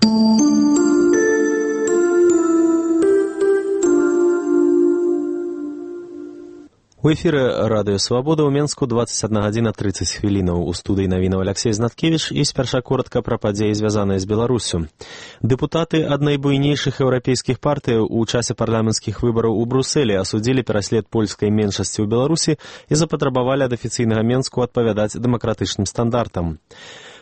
У эфіры Радыё Свабода ў Менску 21:30. У студыі навінаў Алексей Знаткевіч і спярша коротка пра падзеі, звязаныя з Беларусю. Дэпутаты ад найбуйнейшых еўрапейскіх партыяў у часе парламенцкіх выбараў у Брусэлі асудзілі пераслед польскай меншасці ў Беларусі і запатрабавалі ад афіцыйнага Менску адпавядаць дэмакратычным стандартам.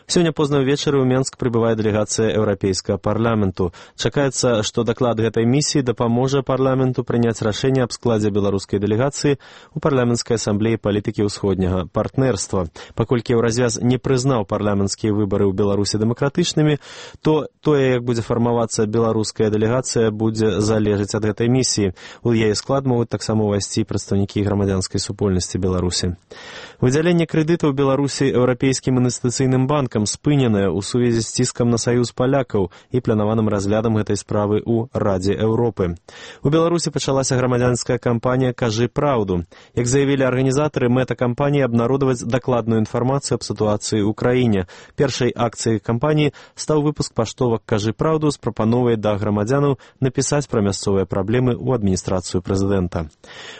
Сёння позна ўвечары ў Менск прыбывае дэлегацыя Еўрапейскага парламенту. Чакаецца, што даклад гэтай місіі дапаможа парламенту прыняць рашэнне аб складзе беларускай дэлегацыі ў парламенцкай асамблеі палітыкі ўсходняга партнерства. Паколькі Еўразвяз не прызнаў парламенцкія выбары ў Беларусі дэмакратычнымі, то тое, як будзе фармавацца беларуская дэлегацыя, будзе залежаць ад гэтай місіі. У яе склад могуць таксама ўвайсці прадстаўнікі грамадзянскай супольнасці Беларусі. Выдзяленне крэдытаў Беларусі Еўрапейскім інвестыцыйным банкам спыненае ў сувязі з ціскам на саюз палякаў і планаваным разглядам гэтай справы ў Радзе Еўропы. У Беларусі пачалася грамадзянская кампанія «Кажы праўду». Як заявілі арганізатары, мэта кампаніі абнародаваць дакладную інфармацыю аб сітуацыі ў краіне. Першай акцыяй кампаніі стаў выпуск паштовак «Кажы праўду» з прапановай да грамадзянаў напісаць пра мясцовыя праблемы ў адміністрацыю прэзідэнта.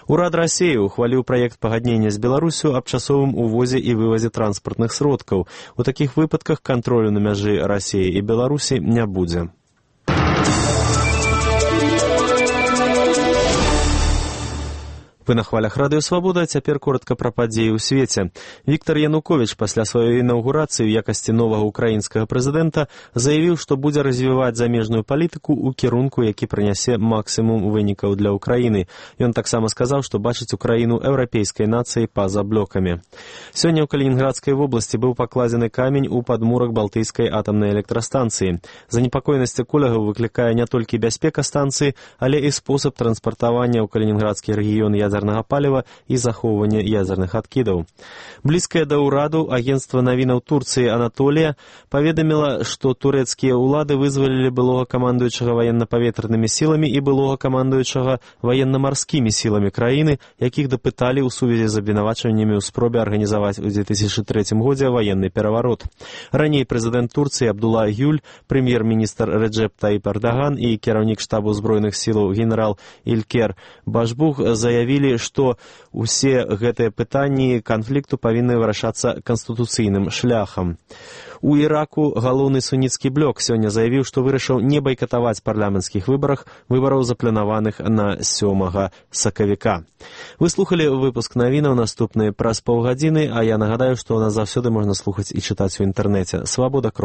Урад Расіі ухваліў праект пагаднення з Беларусю аб часовым увозе і вывазе транспартных сродкаў. У такіх выпадках кантролю на мяжы Расіі і Беларусі не будзе. Вы на хвалях Радыё Свабода, цяпер коротка пра падзеі ў свеце. Віктор Януковіч пасля сваёй інаўгурацыі ў якасці новага украінскага прэзідэнта заявіў, што будзе развіваць замежную палітыку ў кірунку, які прынясе максімум вынікаў для Украіны. Ён таксама сказаў, што бачыць Украіну еўрапейскай нацыяй па-за блокамі. Сёння ў Калінінградскай вобласці быў пакладзены камень у падмурак Балтыйскай атамнай электрастанцыі. Занепакоенасць эколагаў выклікае не толькі бяспека станцыі, але і спосаб транспартавання ў калінінградскі рэгіён ядзернага паліва і захоўвання ядзерных адкідаў. Блізкае да ўраду агенцтва навінаў Турцыі «Анатолія» паведаміла, што турэцкія ўлады вызвалілі былога камандуючага ваенна-паветранымі сіламі і былога камандуючага ваенна-марскімі сіламі краіны, якіх дапыталі ў сувязі з абвінавачваннямі ў спробе арганізаваць у 2003 годзе ваенны пераварот. Раней прэзідэнт Турцыі Абдулла Гюль, прэм'ер-міністр Реджеп Таіп Эрдаган і кіраўнік штабу збройных сілаў генерал Илькер Башбух заявілі, што ўсе гэтыя пытанні канфлікту павінны вырашацца канстытуцыйным шляхам. У Іраку галоўны суніцкі блок сёння заявіў, што вырашыў не байкатаваць парламенцкіх выбараў запланаваных на 7 сакавіка. Вы слухалі выпуск навінаў, наступны праз паўгадзіны, а я нагадаю, што нас заўсёды можна слухаць і чытаць у інтэрнэце. Свабода.